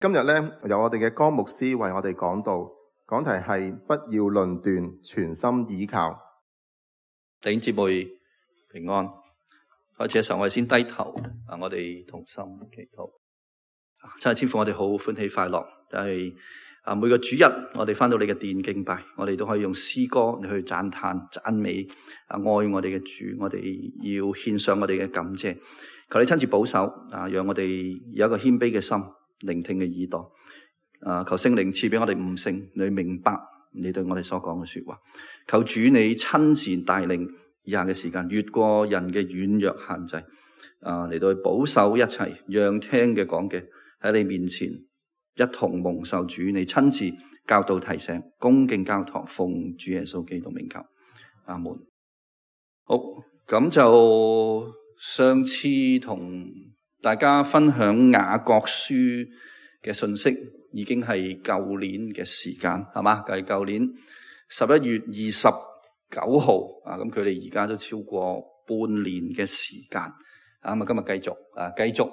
今日咧由我哋嘅江牧師為我哋講道，講題係不要論斷，全心倚靠。弟兄姊妹平安。開始嘅時候我哋先低頭，我哋同心祈禱。真係天父，我哋好歡喜快樂，但係每個主日我哋翻到你嘅殿敬拜，我哋都可以用詩歌嚟去讚嘆讚美愛我哋嘅主，我哋要獻上我哋嘅感謝。求你親自保守讓我哋有一個謙卑嘅心，聆聽嘅耳朵。求聖靈賜俾我哋悟性，你明白你對我哋所講嘅說話。求主你親自帶領以下嘅時間，越過人嘅軟弱限制，嚟到去保守一切，讓聽嘅講嘅喺你面前一同蒙受主你親自教導提醒，恭敬交託，奉主耶穌基督名求，阿門。好，咁就上次同大家分享雅各書嘅信息，已經係舊年嘅時間，係嘛？係舊年11月29號咁佢哋而家都超過半年嘅時間。今日繼續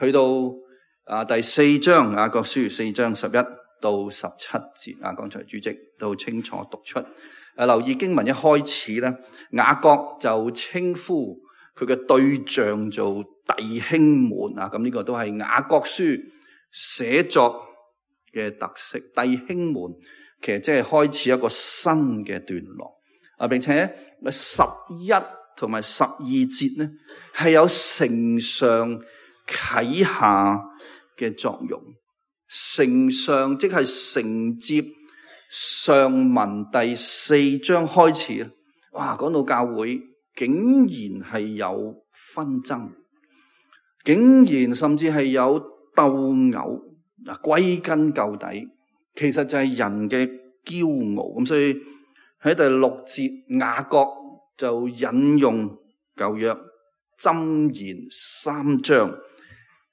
去到第4章雅各書4章11到17節。剛才主席都清楚讀出。留意經文一開始咧，雅各就稱呼佢嘅對象做弟兄們。咁呢個都係雅各書寫作嘅特色。弟兄們其實即係開始一個新嘅段落。並且11同埋12節呢係有承上啟下嘅作用。承上即係承接上文第4章開始。講到教會竟然係有紛爭，竟然甚至係有鬥毆。歸根究底其實就係人嘅驕傲。咁所以喺第6節，雅各就引用舊約箴言3章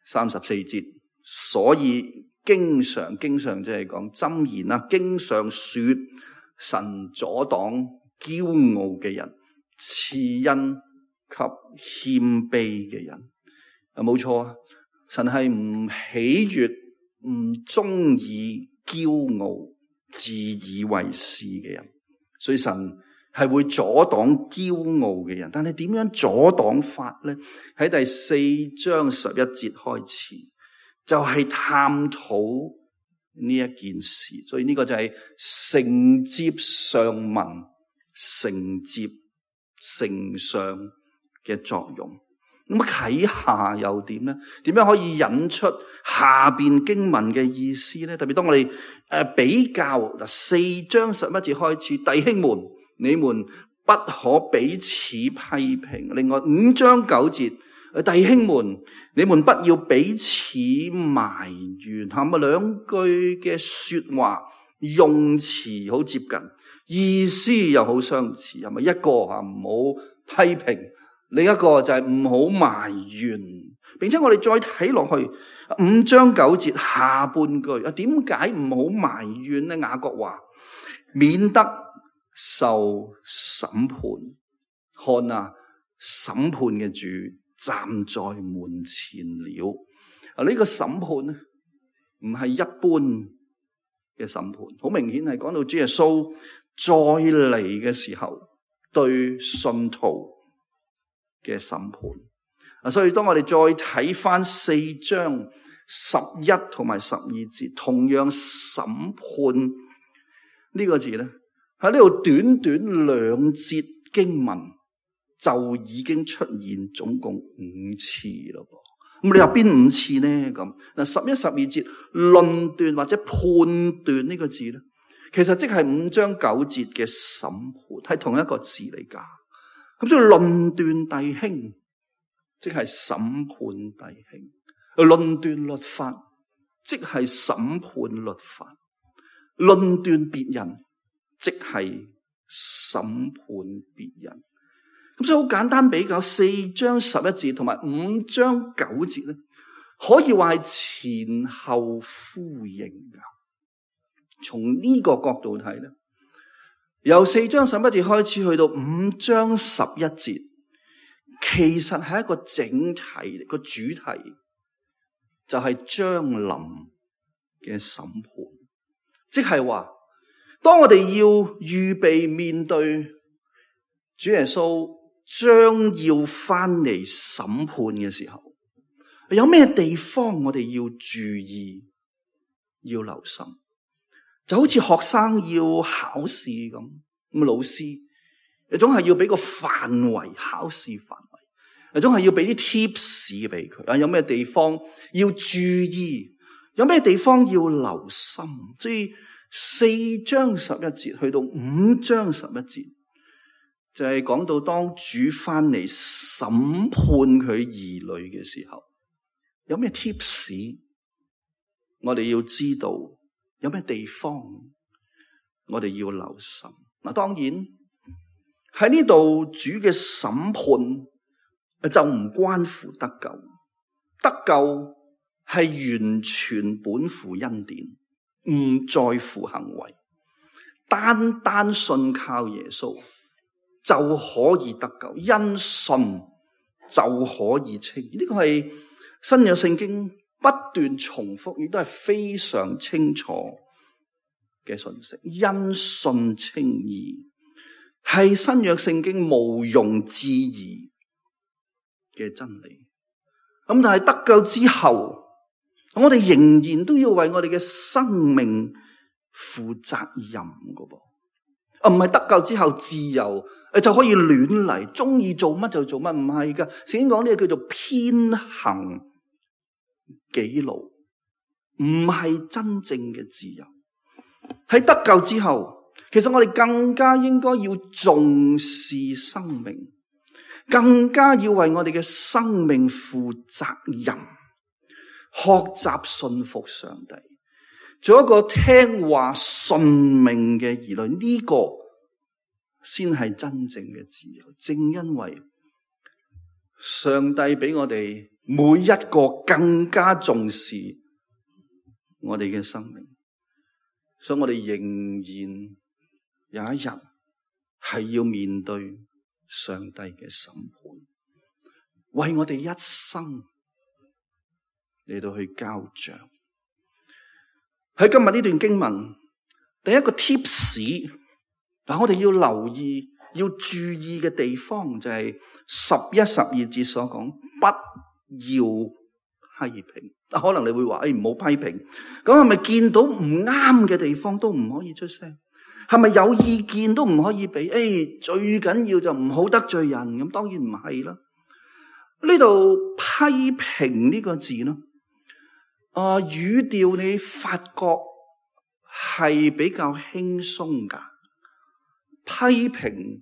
34節，所以經常即係講箴言啦，經常說神阻擋驕傲嘅人，賜恩給謙卑嘅人。冇錯啊，神係唔喜悅、唔中意驕傲、自以為是嘅人。所以神係會阻擋驕傲嘅人，但係點樣阻擋法呢？喺第4章11節開始就係探討呢一件事。所以呢個就係承接上文、承接承上嘅作用。咁啟下又點呢？點樣可以引出下邊經文嘅意思呢？特別當我哋比較4章11節開始，弟兄們，你們不可彼此批評。另外5章9節，弟兄們，你們不要彼此埋怨。兩句嘅說話用詞好接近，意思又好相似。係咪一個唔好批評？另一個就係唔好埋怨，並且我哋再睇落去5章9節下半句，點解唔好埋怨呢？雅各話免得受審判。看啊，審判嘅主站在門前了。呢個審判呢，唔係一般嘅審判，好明顯係講到主耶穌再嚟嘅時候對信徒嘅審判。所以當我哋再睇翻4章11同埋12節，同樣審判呢個字咧，喺呢度短短2節經文就已經出現總共5次咯。咁你話邊5次呢？咁11、12節論斷或者判斷呢個字咧，其實即係5章9節嘅審判，係同一個字嚟噶。咁所以論斷弟兄，即係審判弟兄；論斷律法，即係審判律法；論斷別人，即係審判別人。咁所以好簡單比較4章11節同埋5章9節咧，可以話係前後呼應噶。從呢個角度睇咧，由4章11節開始去到5章11節，其實係一個整體，個主題就係將臨嘅審判，即係話，當我哋要預備面對主耶穌將要翻嚟審判嘅時候，有咩地方我哋要注意、要留心？就好似學生要考試咁，老師總係要俾個範圍，考試範圍，總係要俾啲 tips 俾佢。有咩地方要注意？有咩地方要留心？所以4章11節去到5章11節，就係講到當主翻嚟審判佢兒女嘅時候，有咩 tips 我哋要知道？有咩地方我哋要留心？嗱，當然喺呢度主嘅審判就唔關乎得救，得救係完全本乎恩典，唔在乎行為，單單信靠耶穌就可以得救，因信就可以稱義。呢個係新約聖經不斷重複，亦都係非常清楚嘅信息。因信稱義係新約聖經毋庸置疑嘅真理。咁但係得救之後，我哋仍然都要為我哋嘅生命負責任噶噃。唔係得救之後自由就可以亂嚟，中意做乜就做乜，唔係噶。聖經講呢個叫做偏行己路，唔係真正嘅自由。喺得救之後，其實我哋更加應該要重視生命，更加要為我哋嘅生命負責任，學習信服上帝，做一個聽話順命嘅兒女。呢個先係真正嘅自由。正因為上帝俾我哋每一個更加重視我哋嘅生命，所以我哋仍然有一日係要面對上帝嘅審判，為我哋一生嚟到去交賬。喺今日呢段經文，第一個 tips， 但我哋要留意、要注意嘅地方就係11、12節所講，不要批評。可能你會話，唔好批評。咁係咪見到唔啱嘅地方都唔可以出聲？係咪有意見都唔可以俾？最緊要就唔好得罪人。咁當然唔係啦。呢度批評呢個字呢，語調你發覺係比較輕鬆噶。批評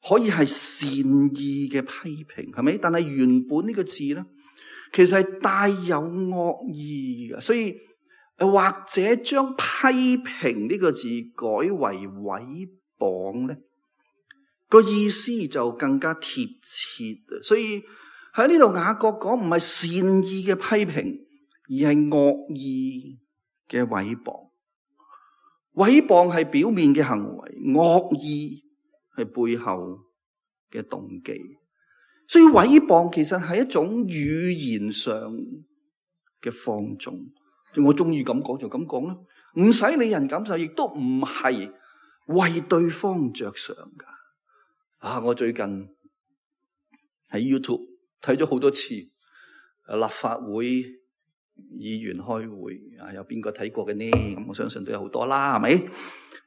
可以係善意嘅批評，係咪？但係原本呢個字呢，其實係帶有惡意嘅，所以或者將批評呢個字改為毀謗咧，個意思就更加貼切。所以喺呢度雅各講唔係善意嘅批評，而係惡意嘅毀謗。毀謗係表面嘅行為，惡意係背後嘅動機。所以毀謗其實係一種語言上嘅放縱，我中意咁講就咁講啦，唔使理人感受，亦都唔係為對方着想噶。我最近喺 YouTube 睇咗好多次立法會議員開會，有邊個睇過嘅呢？咁我相信都有好多啦，係咪？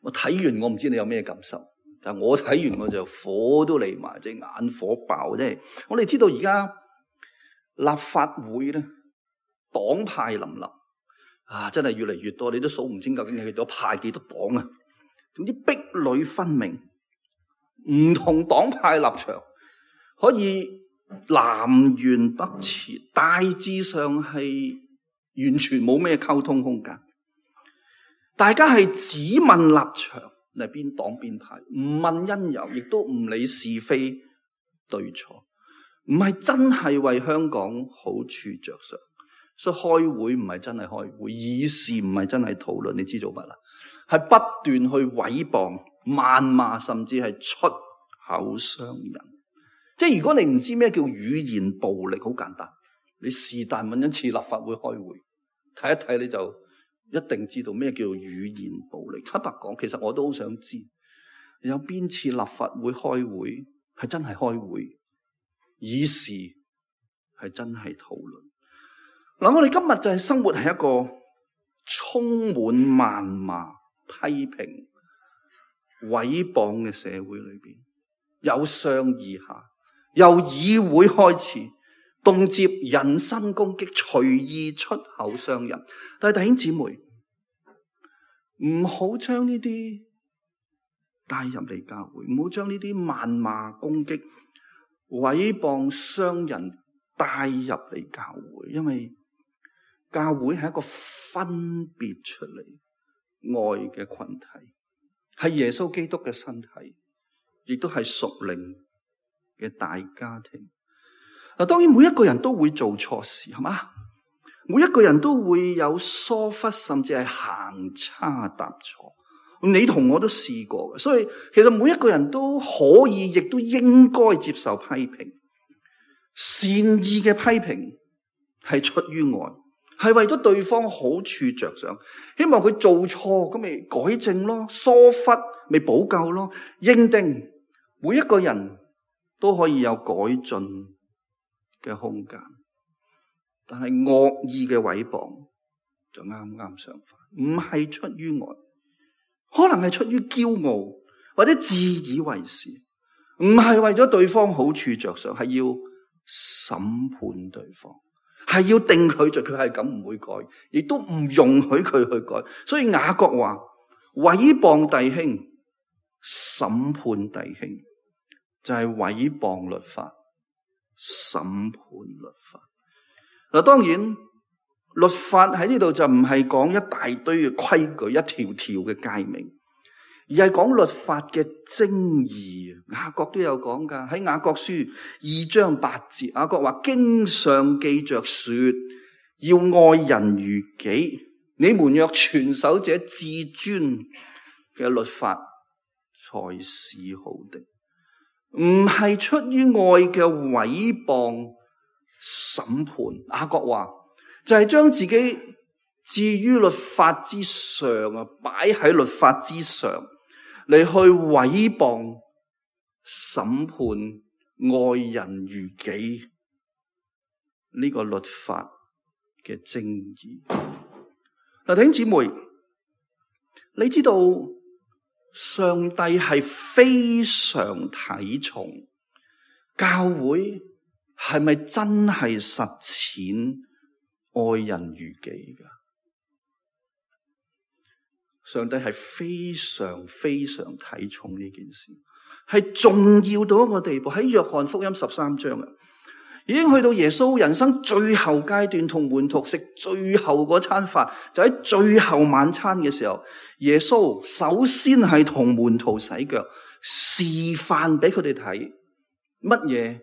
我睇完我唔知你有咩感受。但係我睇完我就火都嚟埋，即係眼火爆。即係我哋知道而家立法會咧，黨派林立真係越嚟越多，你都數唔清究竟係幾多派幾多黨啊！總之壁壘分明，唔同黨派立場可以南轅北轍，大致上係完全冇咩溝通空間。大家係只問立場。係邊黨邊派，唔問因由，亦都唔理是非對錯，唔係真係為香港好處着想。所以開會唔係真係開會，議事唔係真係討論，你知做乜啦？係不斷去毀謗、謾罵，甚至係出口傷人。即係如果你唔知咩叫語言暴力，好簡單，你是但揾一次立法會開會睇一睇，你就一定知道咩叫做語言暴力。坦白講，其實我都好想知有邊次立法會開會係真係開會，議事係真係討論。嗱，我哋今日就係生活喺一個充滿謾罵、批評、毀謗嘅社會裏邊，由上而下，由議會開始，動輒人身攻擊，隨意出口傷人。但係弟兄姊妹，唔好將呢啲帶入嚟教會，唔好將呢啲謾罵、攻擊、毀謗、傷人帶入嚟教會，因為教會係一個分別出嚟愛嘅群體，係耶穌基督嘅身體，亦都係屬靈嘅大家庭。嗱，當然每一個人都會做錯事，係嘛？每一個人都會有疏忽，甚至係行差踏錯。你同我都試過嘅，所以其實每一個人都可以，亦都應該接受批評。善意嘅批評係出於愛，係為咗對方好處着想，希望佢做錯咁咪改正咯，疏忽咪補救咯。認定每一個人都可以有改進嘅空間，但係惡意嘅毀謗就啱啱相反，唔係出於愛，可能係出於驕傲或者自以為是，唔係為咗對方好處着想，係要審判對方，係要定佢罪，佢係咁唔會改，亦都唔容許佢去改。所以雅各話：毀謗弟兄、審判弟兄，就係毀謗律法、審判律法。嗱，當然律法喺呢度就唔係講一大堆嘅規矩、一條條嘅誡命，而係講律法嘅精義。雅各都有講噶，喺雅各書2章8節，雅各話：經上記着說，要愛人如己。你們若全守這至尊嘅律法，才是好的。唔係出於愛嘅毀謗審判。雅各話就係將自己置於律法之上啊，擺喺律法之上嚟去毀謗審判愛人如己呢個律法嘅正義。嗱，弟兄姊妹，你知道上帝係非常睇重教會係咪真係實踐愛人如己㗎？上帝係非常非常睇重呢件事，係重要到一個地步。喺約翰福音13章啊，已經去到耶穌人生最後階段，同門徒食最後嗰餐飯，就喺最後晚餐嘅時候，耶穌首先係同門徒洗腳，示範俾佢哋睇乜嘢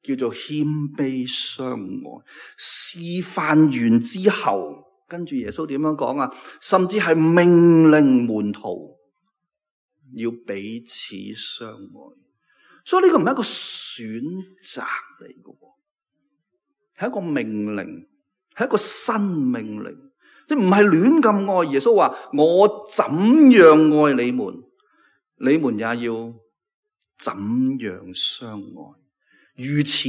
叫做謙卑相愛。示範完之後，跟住耶穌點樣講啊？甚至係命令門徒要彼此相愛。所以呢個唔係一個選擇嚟嘅，係一個命令，係一個新命令，即唔係亂咁愛。耶穌話：我怎樣愛你們，你們也要怎樣相愛。如此，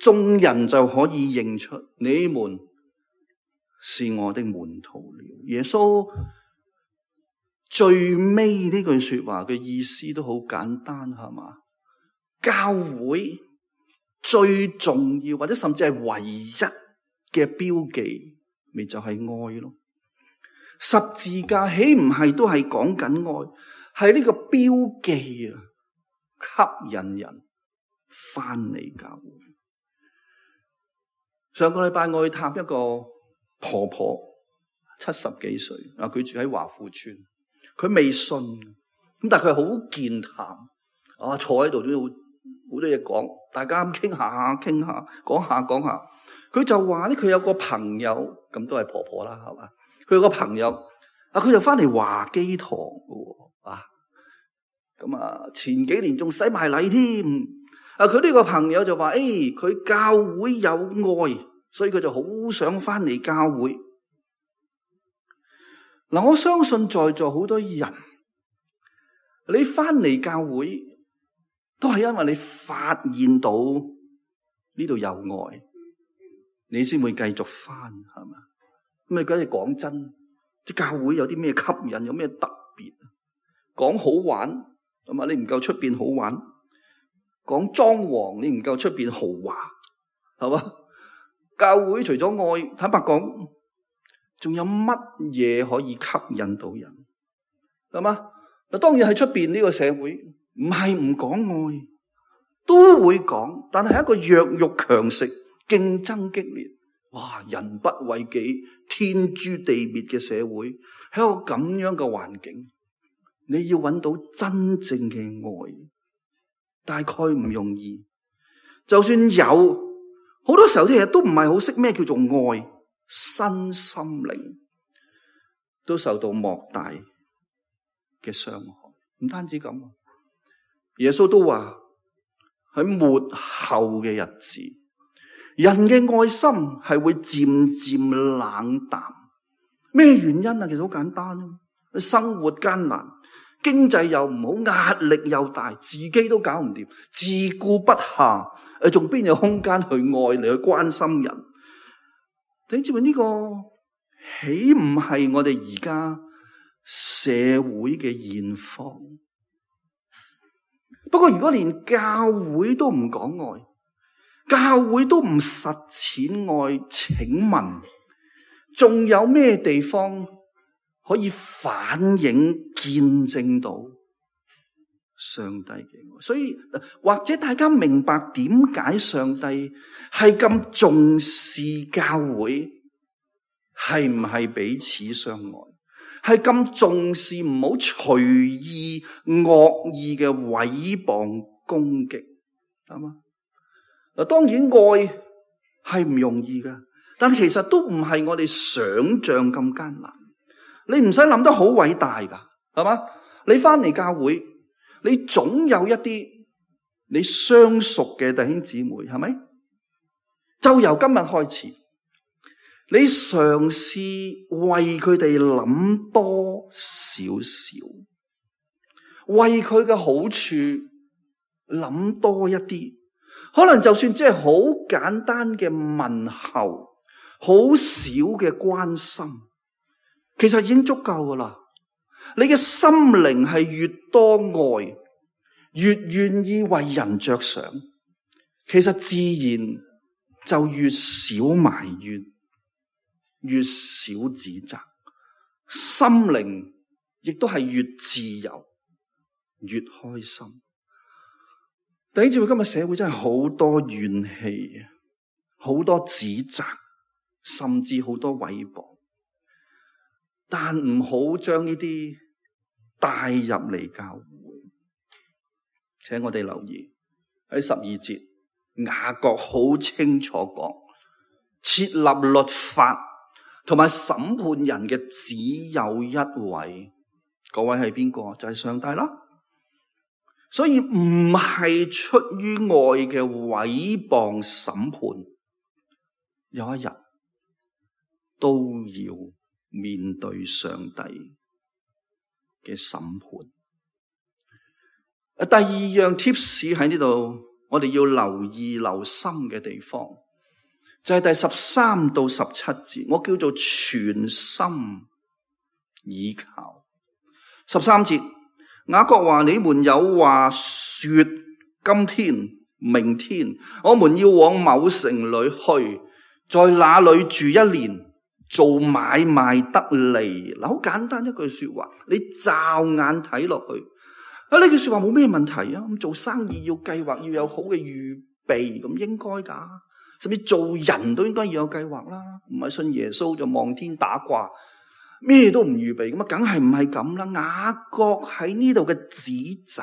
眾人就可以認出你們是我的門徒了。耶穌最尾呢句說話嘅意思都好簡單，係嘛？教會最重要或者甚至係唯一嘅標記，咪就係愛咯。十字架豈唔係都係講緊愛？係呢個標記啊，吸引人翻嚟教會。上個禮拜我去探一個婆婆，70幾歲啊，佢住喺華富村，佢未信，咁但係佢好健談啊，坐喺度都好多嘢講，大家傾下，講下，佢就話咧，佢有個朋友，咁都係婆婆啦，係嘛？佢有個朋友啊，佢就翻嚟華基堂嘅啊，咁啊，前幾年仲洗埋禮添。啊，佢呢個朋友就話：佢教會有愛，所以佢就好想翻嚟教會。嗱，我相信在座好多人，你翻嚟教會都係因為你發現到呢度有愛，你先會繼續翻，係嘛？咁你梗係講真，啲教會有啲咩吸引，有咩特別？講好玩，係嘛？你唔夠出邊好玩。講裝潢，你唔夠出邊豪華，係嘛？教會除咗愛，坦白講，仲有乜嘢可以吸引到人？係嘛？嗱，當然喺出邊呢個社會，唔係唔講愛，都會講，但係一個弱肉強食、競爭激烈，哇！人不為己、天誅地滅嘅社會，喺一個咁樣嘅環境，你要揾到真正嘅愛，大概唔容易。就算有，好多時候啲嘢都唔係好識咩叫做愛，身心靈都受到莫大嘅傷害。唔單止咁，耶穌都話喺末後嘅日子，人嘅愛心係會漸漸冷淡。咩原因啊？其實好簡單，生活艱難，經濟又唔好，壓力又大，自己都搞唔掂，自顧不暇，仲邊有空間去愛你，去關心人？你知唔知呢個豈唔係我哋而家社會嘅現況？不過如果連教會都唔講愛，教會都唔實踐愛，請問仲有咩地方可以反映見證到上帝嘅愛？所以或者大家明白點解上帝係咁重視教會，係唔係彼此相愛，係咁重視唔好隨意惡意嘅毀謗攻擊，係嘛？嗱，當然愛係唔容易噶，但其實都唔係我哋想象咁艱難。你唔使諗得好偉大噶，係嘛？你翻嚟教會，你總有一啲你相熟嘅弟兄姊妹，係咪？就由今日開始，你嘗試為佢哋諗多少少，為佢嘅好處諗多一啲。可能就算只係好簡單嘅問候，好少嘅關心，其實已經足夠噶啦。你嘅心靈係越多愛，越願意為人着想，其實自然就越少埋怨，越少指責，心靈亦都係越自由，越開心。弟兄姊妹，今日社會真係好多怨氣，好多指責，甚至好多毀謗。但唔好將呢啲帶入嚟教會。請我哋留意喺12節，雅各好清楚講，設立律法同埋審判人嘅只有一位，嗰位係邊個？就係上帝啦。所以唔係出於愛嘅毀謗審判，有一日都要面對上帝嘅審判。第二樣 tips 喺呢度，我哋要留意留心嘅地方，就係第13到17節，我叫做全心倚靠。13節，雅各話：你們有話說，今天、明天，我們要往某城裏去，在那裏住1年，做買賣得利。嗱，好簡單一句說話，你驟眼睇落去，呢句說話冇咩問題啊。咁做生意要計劃，要有好嘅預備，咁應該噶。甚至做人都應該要有計劃啦，唔係信耶穌就望天打卦，咩都唔預備，咁啊，梗係唔係咁啦。雅各喺呢度嘅指責，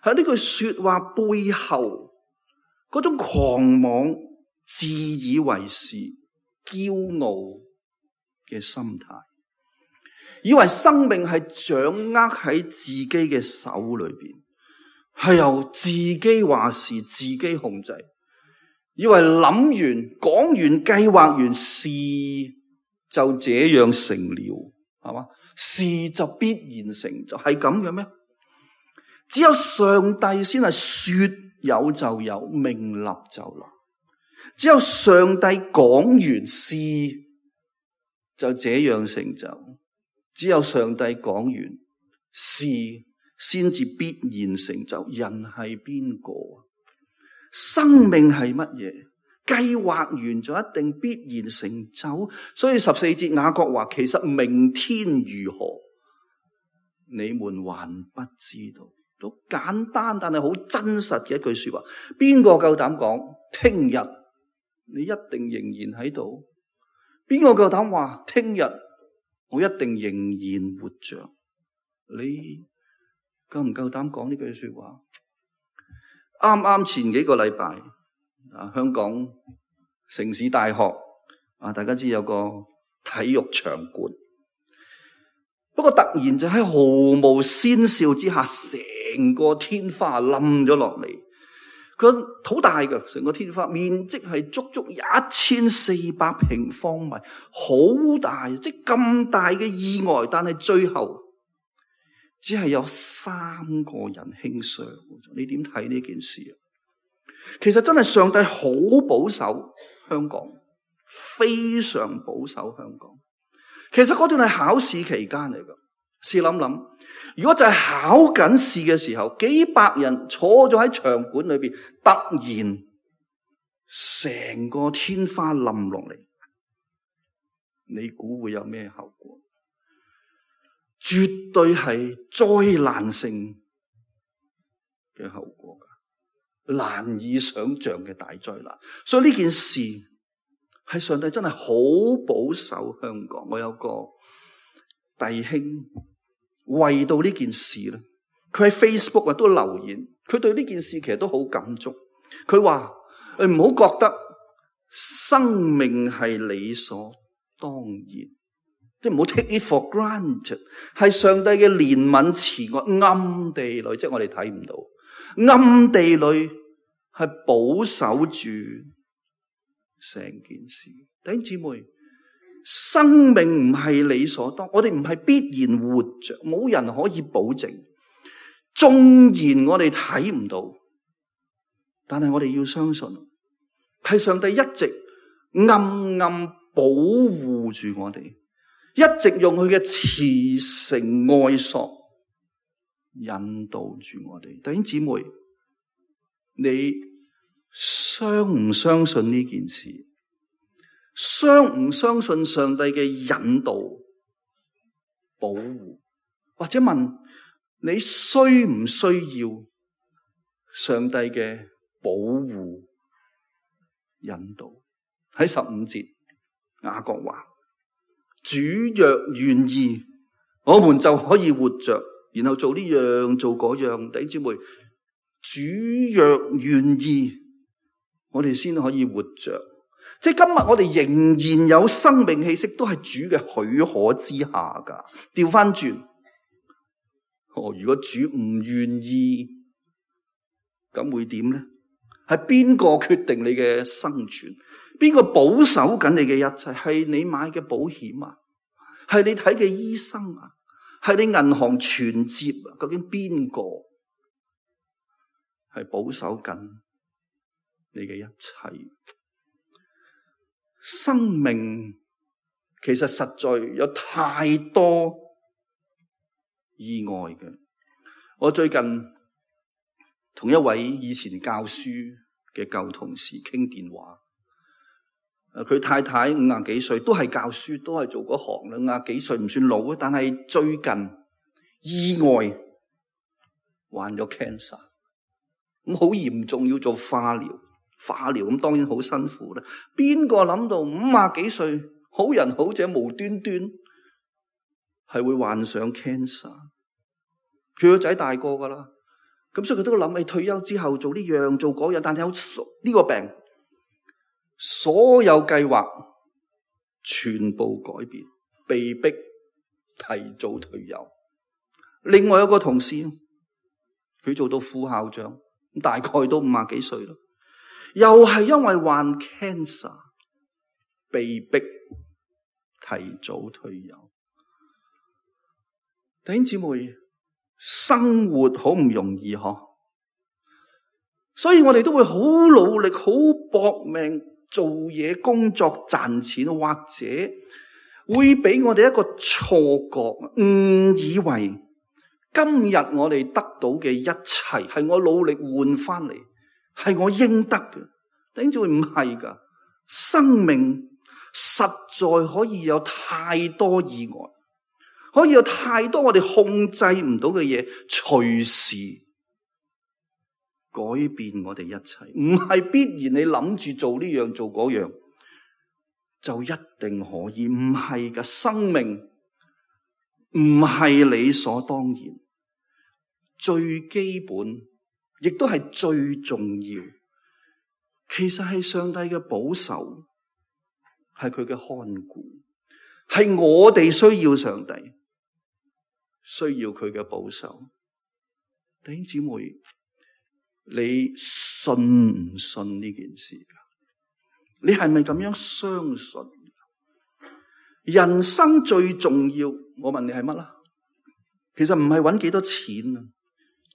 喺呢句說話背後嗰種狂妄、自以為是、驕傲嘅心態，以為生命係掌握喺自己嘅手裏邊，係由自己話事、自己控制，以為諗完、講完、計劃完事就這樣成了，係嘛？事就必然成就，係咁嘅咩？只有上帝先係說有就有，命立就立。只有上帝講完，事就這樣成就。只有上帝講完，事先至必然成就。人係邊個？生命係乜嘢？計劃完就一定必然成就。所以14節雅各話，其實明天如何，你們還不知道。好簡單但係好真實嘅一句說話。邊個夠膽講聽日你一定仍然喺度？邊個夠膽話聽日我一定仍然活着？你夠唔夠膽講呢句說話？啱啱前幾個禮拜香港城市大學大家知有個體育場館，不過突然就喺毫無先兆之下，成個天花冧咗落嚟。佢好大嘅，成個天花面積係足足1400平方米，好大，即係咁大嘅意外，但係最後只係有3個人輕傷。你點睇呢件事啊？其實真係上帝好保守香港，非常保守香港。其實嗰段係考試期間嚟㗎。試諗諗，如果就係考緊試嘅時候，幾百人坐咗喺場館裏邊，突然成個天花冧落嚟，你估會有咩後果？絕對係災難性嘅後果，難以想象嘅大災難。所以呢件事係上帝真係好保守香港。我有個弟兄為到呢件事咧，佢喺 Facebook 都留言，佢對呢件事其實都好感觸。佢話：你唔好覺得生命係理所當然，即係唔好 take it for granted， 係上帝嘅憐憫慈愛，暗地裏即係我哋睇唔到，暗地裏係保守住成件事。弟兄姊妹，生命唔係理所當然，我哋唔係必然活着，冇人可以保證。縱然我哋睇唔到，但係我哋要相信，係上帝一直暗暗保護住我哋，一直用佢嘅慈繩愛索引導住我哋。弟兄姊妹，你相唔相信呢件事？相唔相信上帝嘅引導、保護？或者問你需唔需要上帝嘅保護、引導？喺15節，雅各話：主若願意，我們就可以活着，然後做呢樣做嗰樣。弟兄姊妹，主若願意，我哋先可以活着。即係今日我哋仍然有生命氣息，都係主嘅許可之下噶。調翻轉，如果主唔願意，咁會點咧？係邊個決定你嘅生存？邊個保守緊你嘅一切？係你買嘅保險啊？係你睇嘅醫生啊？係你銀行存摺啊？究竟邊個係保守緊你嘅一切？生命其實實在有太多意外嘅。我最近同一位以前教書嘅舊同事傾電話，佢太太50幾歲，都係教書，都係做嗰行啦。50幾歲唔算老，但係最近意外患咗 cancer， 咁好嚴重，要做化療。化療咁當然好辛苦啦。邊個諗到50幾歲好人好者無端端係會患上 cancer？ 佢個仔大個噶啦，咁所以佢都諗起退休之後做呢樣做嗰樣，但係有呢個病，所有計劃全部改變，被逼提早退休。另外有個同事，佢做到副校長，大概都50幾歲啦。又係因為患 cancer， 被逼提早退休。弟兄姊妹，生活好唔容易嗬，所以我哋都會好努力、好搏命做嘢、工作賺錢，或者會俾我哋一個錯覺，誤以為今日我哋得到嘅一切係我努力換翻嚟，係我應得嘅。弟兄姊妹，唔係噶，生命實在可以有太多意外，可以有太多我哋控制唔到嘅嘢，隨時改變我哋一切。唔係必然你諗住做呢樣做嗰樣就一定可以，唔係噶。生命唔係理所當然，最基本亦都係最重要，其實係上帝嘅保守，係佢嘅看顧，係我哋需要上帝，需要佢嘅保守。弟兄姊妹，你信唔信呢件事？你係咪咁樣相信？人生最重要，我問你係乜啦？其實唔係搵幾多錢啊，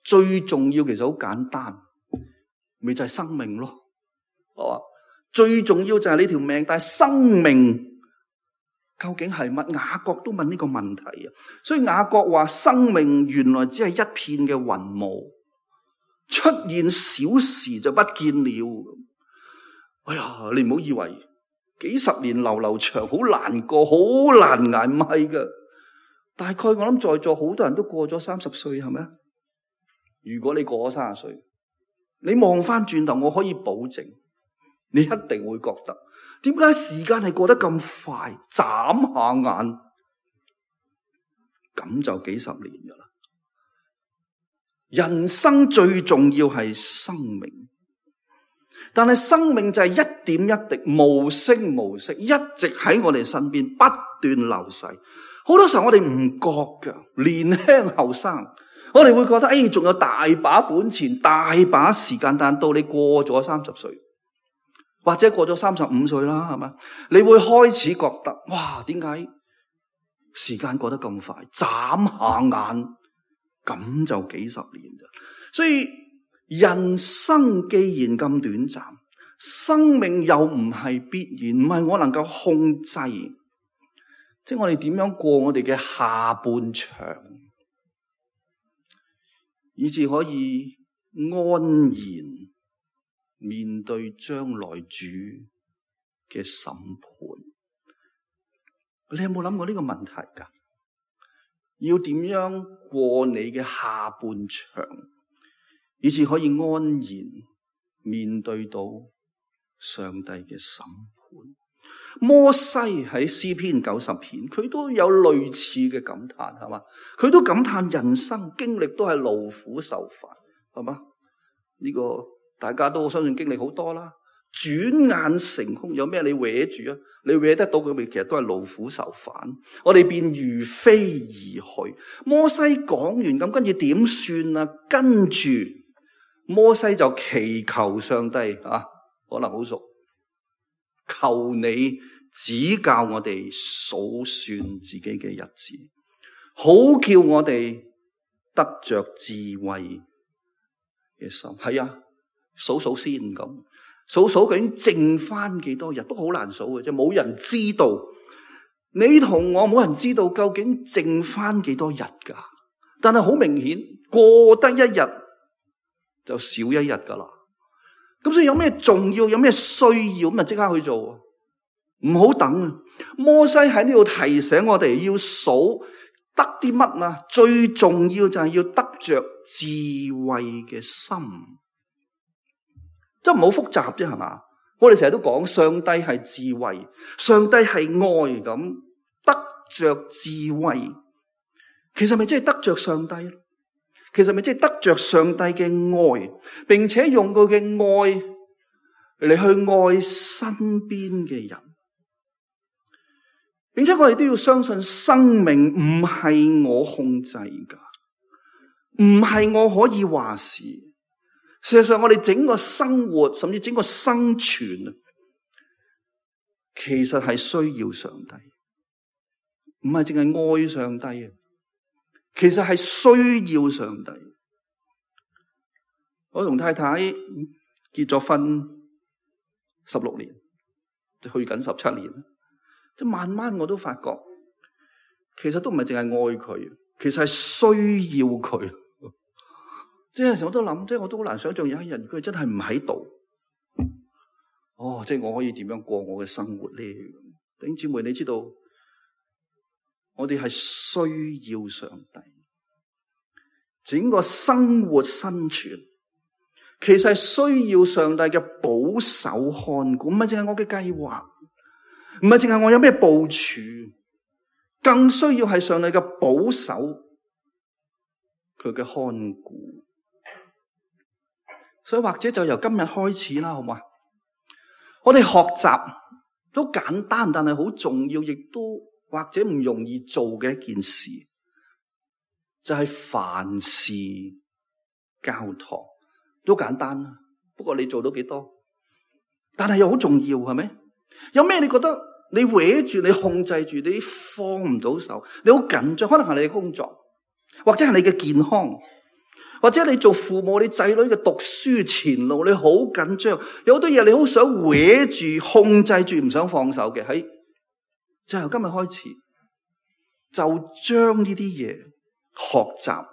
最重要其實好簡單，咪就係生命咯。最重要就係你條命，但係生命究竟係乜？雅各都問呢個問題啊。所以雅各話生命原來只係一片嘅雲霧，出現小時就不見了。哎呀，你唔好以為幾十年流流長好難過，好難捱，唔係噶。大概我諗在座好多人都過咗30歲，係咪啊？如果你過咗30歲，你望翻轉頭，我可以保證你一定會覺得，點解時間係過得咁快？眨下眼咁就幾十年噶啦。人生最重要係生命，但係生命就係一點一滴，無聲無息，一直喺我哋身邊不斷流逝。好多時候我哋唔覺噶，年輕後生，我哋會覺得仲有大把本錢，大把時間，但到你過咗30歲，或者過咗35歲啦，係嘛？你會開始覺得，哇，點解時間過得咁快？眨下眼咁就幾十年咋。所以人生既然咁短暫，生命又唔係必然，唔係我能夠控制，即係我哋點樣過我哋嘅下半場，以至可以安然面對將來主嘅審判。你有冇諗過呢個問題㗎？要點樣過你嘅下半場，以至可以安然面對到上帝嘅審判？摩西喺詩篇90篇，佢都有類似嘅感嘆，係嘛？佢都感嘆人生經歷都係勞苦受煩，係嘛？呢個大家都相信經歷好多啦。轉眼成空，有咩你搲住啊？你搲得到佢咪？其實都係勞苦受煩。我哋便如飛而去。摩西講完咁，跟住點算啊？跟住摩西就祈求上帝啊，可能好熟，求你指教我哋數算自己嘅日子，好叫我哋得着智慧嘅心。係啊，數數先咁。數數究竟剩翻幾多日，都好難數嘅啫，冇人知道。你同我冇人知道究竟剩翻幾多日噶，但係好明顯過得一日就少一日噶啦。咁所以有咩重要，有咩需要，咁咪即刻去做，唔好等啊！摩西喺呢度提醒我哋要數得啲乜啊？最重要就係要得着智慧嘅心。即係唔好複雜啫，係嘛？我哋成日都講上帝係智慧，上帝係愛，咁得着智慧，其實咪即係得着上帝？其實咪即係得着上帝嘅愛，並且用佢嘅愛嚟去愛身邊嘅人，並且我哋都要相信生命唔係我控制噶，唔係我可以話事。事實上，我哋整個生活，甚至整個生存，其實係需要上帝，唔係淨係愛上帝啊！其實係需要上帝。我同太太結咗婚16年，就去緊17年，即慢慢我都發覺，其實都唔係淨係愛佢，其實係需要佢。即係有時我都諗，即係我都好難想象有一日佢真係唔喺度。即係我可以點樣過我嘅生活咧？弟兄姊妹，你知道我哋係需要上帝，整個生活生存其實係需要上帝嘅保守看顧，唔係淨係我嘅計劃，唔係淨係我有咩部署，更需要係上帝嘅保守，佢嘅看顧。所以或者就由今日開始啦，好嘛？我哋學習都簡單，但係好重要，亦都或者唔容易做嘅一件事，就係凡事交託。都簡單啦，不過你做到幾多？但係又好重要，係咪？有咩你覺得你搲住、你控制住、你放唔到手，你好緊張？可能係你嘅工作，或者係你嘅健康。或者你做父母，你仔女嘅讀書前路，你好緊張，有好多嘢你好想搲住、控制住，唔想放手嘅。就由今日開始，就將呢啲嘢學習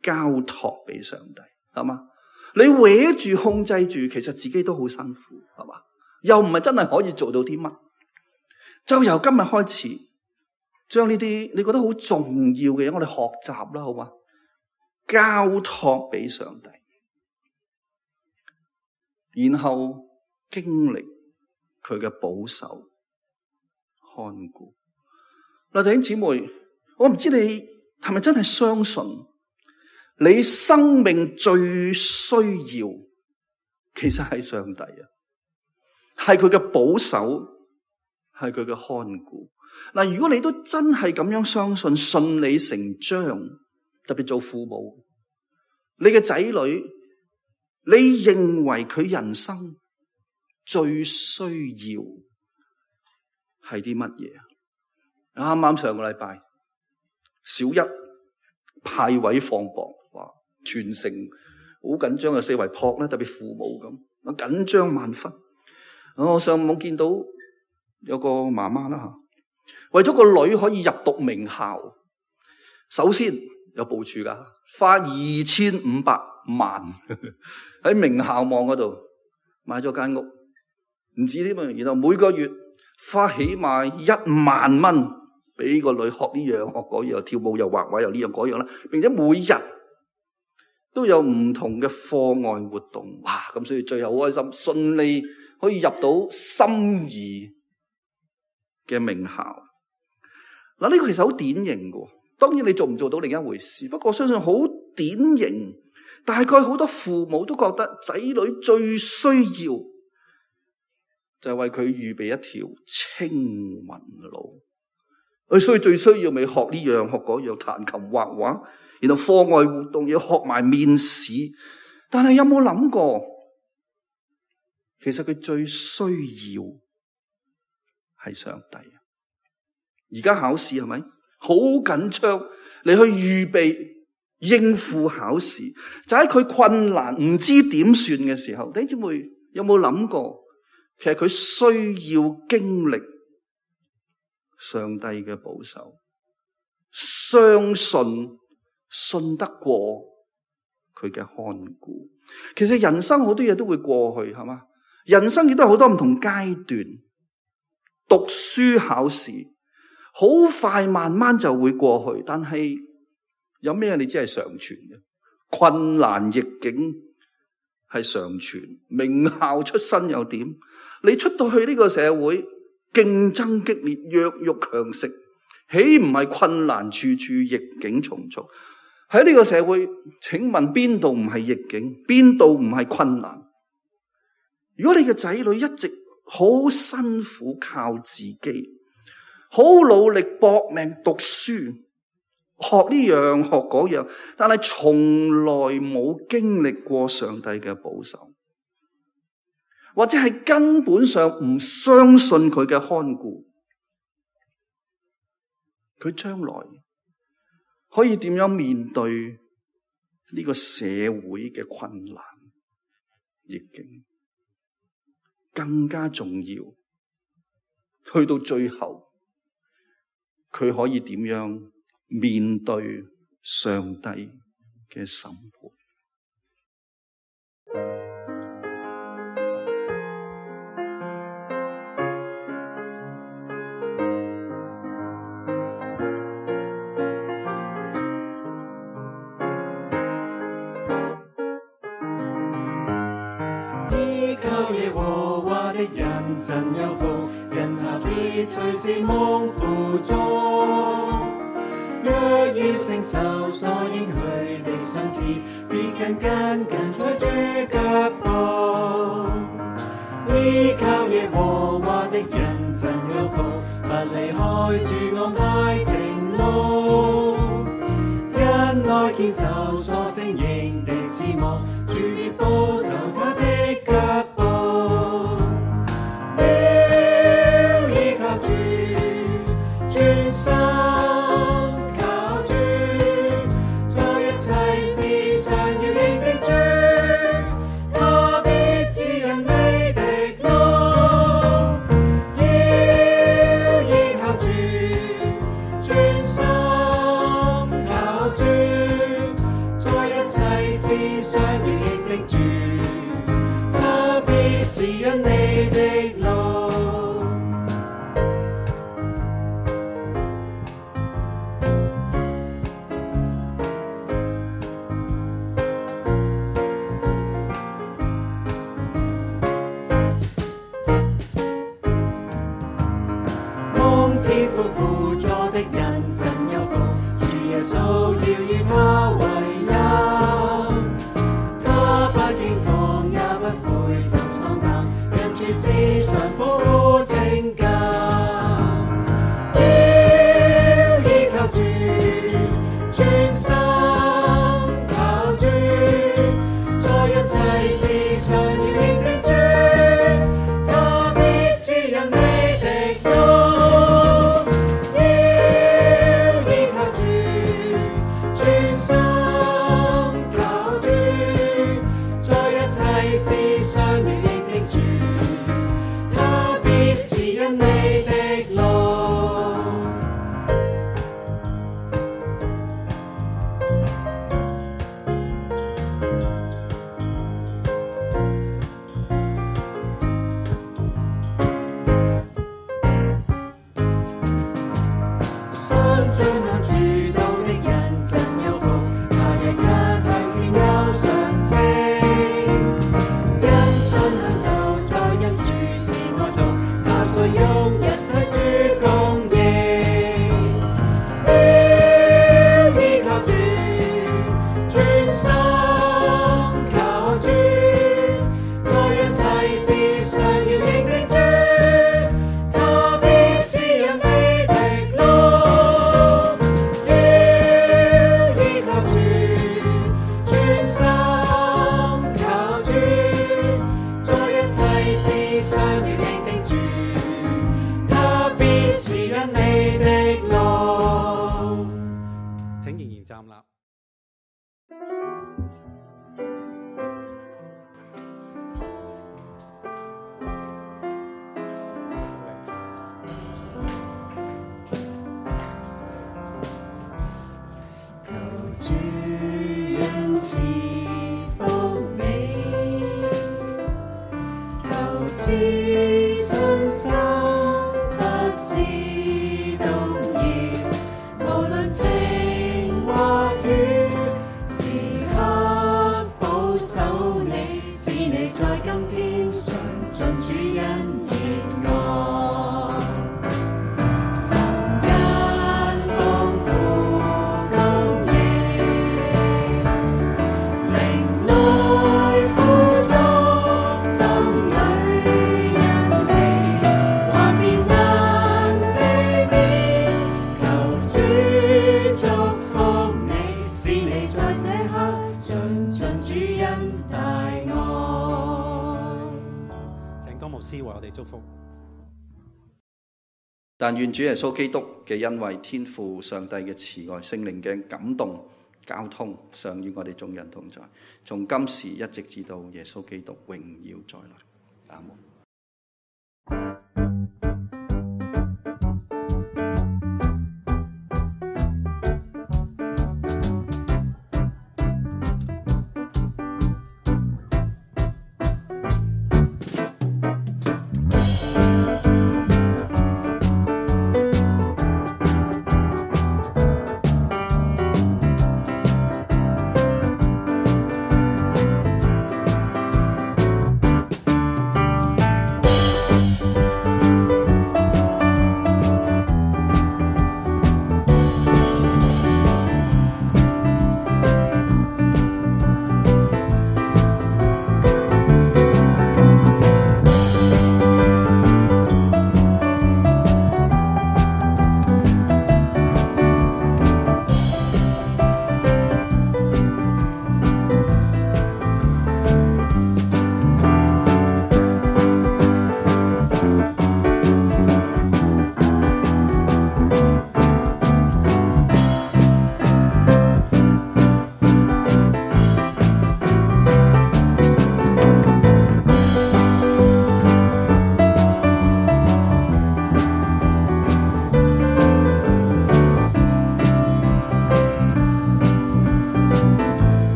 交託俾上帝，係嘛？你搲住、控制住，其實自己都好辛苦，係嘛？又唔係真係可以做到啲乜，就由今日開始，將呢啲你覺得好重要嘅嘢，我哋學習啦，好嘛？交託俾上帝，然後經歷佢嘅保守看顧。嗱，弟兄姊妹，我唔知你係咪真係相信，你生命最需要其實係上帝啊，係佢嘅保守，係佢嘅看顧。嗱，如果你都真係咁樣相信，順理成章。特別做父母，你嘅仔女，你認為佢人生最需要係啲乜嘢？啱啱上個禮拜，小一派位放榜，哇！全城好緊張嘅，四圍撲咧，特別父母咁，緊張萬分。我上網見到有個媽媽啦，為咗個女可以入讀名校，首先有部署噶，花2500萬喺名校網嗰度買咗間屋，唔止添啊！然後每個月花起碼1萬蚊俾個女學呢樣學嗰樣，跳舞又畫畫又呢樣嗰樣啦，並且每日都有唔同嘅課外活動，哇！咁所以最後好開心，順利可以入到心儀嘅名校。嗱，呢個其實好典型嘅。當然你做唔做到另一回事，不過我相信好典型，大概好多父母都覺得仔女最需要就係為佢預備一條青雲路，所以最需要咪學呢樣學嗰樣，彈琴畫畫，然後課外活動要學埋面試。但係有冇諗過，其實佢最需要係上帝啊？而家考試係咪？好緊張，你去預備應付考試，就喺佢困難唔知點算嘅時候，弟兄姊妹有冇諗過，其實佢需要經歷上帝嘅保守，相信得過佢嘅看顧。其實人生好多嘢都會過去，係嘛？人生亦都有好多唔同階段，讀書考試好快慢慢就會過去，但係有咩你只係常存嘅？困難逆境係常存，名校出身又點？你出到去呢個社會，競爭激烈，弱肉強食，豈唔係困難處處，逆境重重？喺呢個社會，請問邊度唔係逆境？邊度唔係困難？如果你嘅仔女一直好辛苦靠自己，好努力搏命讀書，學呢樣學嗰樣，但係從來冇經歷過上帝嘅保守，或者係根本上唔相信佢嘅看顧，佢將來可以點樣面對呢個社會嘅困難逆境，更加重要，去到最後，佢可以點樣面對上帝嘅審判。靠耶和華的人真有福，人下必隨時蒙福中。若要承受所應許的賞賜，必緊跟在主腳步。依靠耶和華的人真有福，不離開主安排正路。因愛堅守所承認的指望，主必保守他的腳步。要依靠主，專心靠主，在一切事上要認定主，他必指引你的路。要依靠主，專心靠主，在一切事上要認定主，他必指引你的路。蒙天父輔助的人真有福，主耶穌要與他為友，他不驚慌也不灰心喪膽，因主時常保護拯救。要依靠主，專心靠主，在一切事上要認定主，他必指引你的路。要依靠主，專心靠主，在一切事上要認定主，他必指引你的路。想進行主道的人真有福，他日日向前有上升。因信行就在因主慈愛中，他所用一切主供應。要依靠主，專心靠主，在一切事上要認定主，他必指引你的路。要依靠主，專心靠主，在一切事上要認定主，他必指引你的路。請仍然站立。求主恩賜福你，求知信心不知動搖，無論晴或雨，時刻保守你，使你在今天常盡主恩熱愛。神恩豐富供應，靈內富足，心裏欣喜，幻變難避免。求主祝福你，使你在這刻盡盡主恩大愛。請江牧師為我哋祝福。但願主耶穌基督嘅恩惠、天父上帝嘅慈愛、聖靈嘅感動、交通，常與我哋眾人同在，從今時一直至到耶穌基督榮耀再來。阿門。